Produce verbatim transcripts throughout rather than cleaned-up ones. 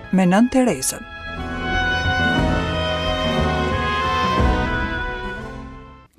Me Nënë Terezën.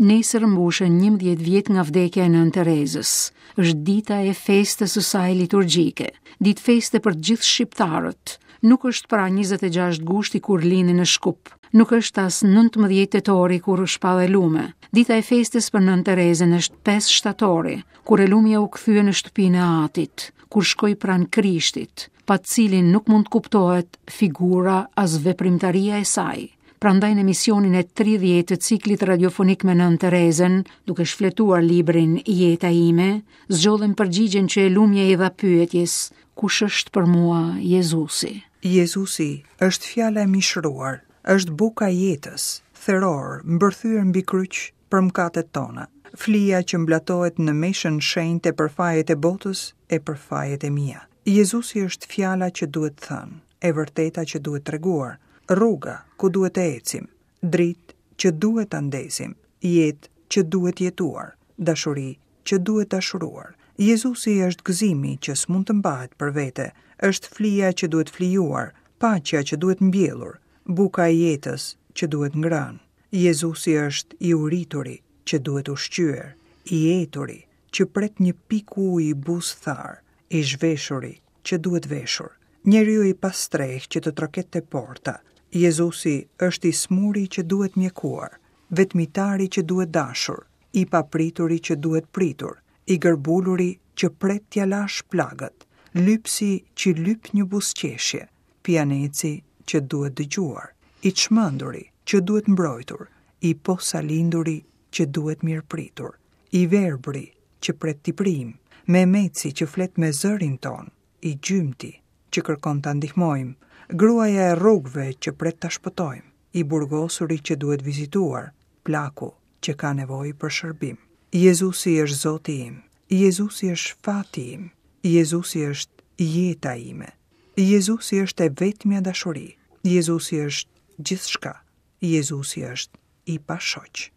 Nesër mbushen njëmbëdhjetë vjet nga vdekja e Nënë Terezës. Është dita e festës së saj liturgjike, ditë feste për të gjithë shqiptarët. Nuk është pra njëzet e gjashtë gushti kur lindi në Shkup, nuk është as nëntëmbëdhjetë tetori kur u shpall e lume. Dita e festës për Nënë Terezën është pesë shtatori, kur e lumja u kthye në shtëpinë e Atit, kur shkoi pranë Krishtit, pa të cilin nuk mund të kuptohet figura as veprimtaria e saj. Prandaj në emisionin e tridhjetë të ciklit radiofonik me Nënë Terezën, duke shfletuar librin Jeta ime, zgjodhëm përgjigjen që e lumja i dha pyetjes, kush është për mua Jezusi? Jezusi është fjala e mishëruar, është buka e jetës, theror, mbërthyer mbi kryq për mëkatet tona, flia që mblatohet në meshën shenjte për fajet e botës e për fajet e mia. Jezusi është fjala që duhet thënë, e vërteta që duhet treguar, rruga ku duhet të ecim, dritë që duhet ta ndezim, jetë që duhet jetuar, dashuri që duhet dashuruar. Jezusi është gëzimi që s'mund të mbahet për vete, është flia që duhet flijuar, paqja që duhet mbjellur, buka e jetës që duhet ngrënë. Jezusi është i urituri që duhet ushqyer, i eturi që pret një pikë uji buzë thar, i zhveshuri që duhet veshur, njeriu i pastreh që të troket te porta. Jezusi është i smuri që duhet mjekuar, vetmitari që duhet dashur, i paprituri që duhet pritur, i gërbuluri që pret t'ja lash plagët, lypsi që lyp një buzëqeshje, pianeci që duhet dëgjuar, i çmenduri që duhet mbrojtur, i posalinduri që duhet mirëpritur, i verbri që pret t'i prim, memeci që flet me zërin ton, i gjymti që kërkon ta ndihmojmë, gruaja e rrugëve që pret ta shpëtojmë, i burgosuri që duhet vizituar, plaku që ka nevojë për shërbim. Jezusi është Zoti im, Jezusi është fati im, Jezusi është jeta ime, Jezusi është e vetmja dashuri, Jezusi është gjithçka, Jezusi është i pashoq.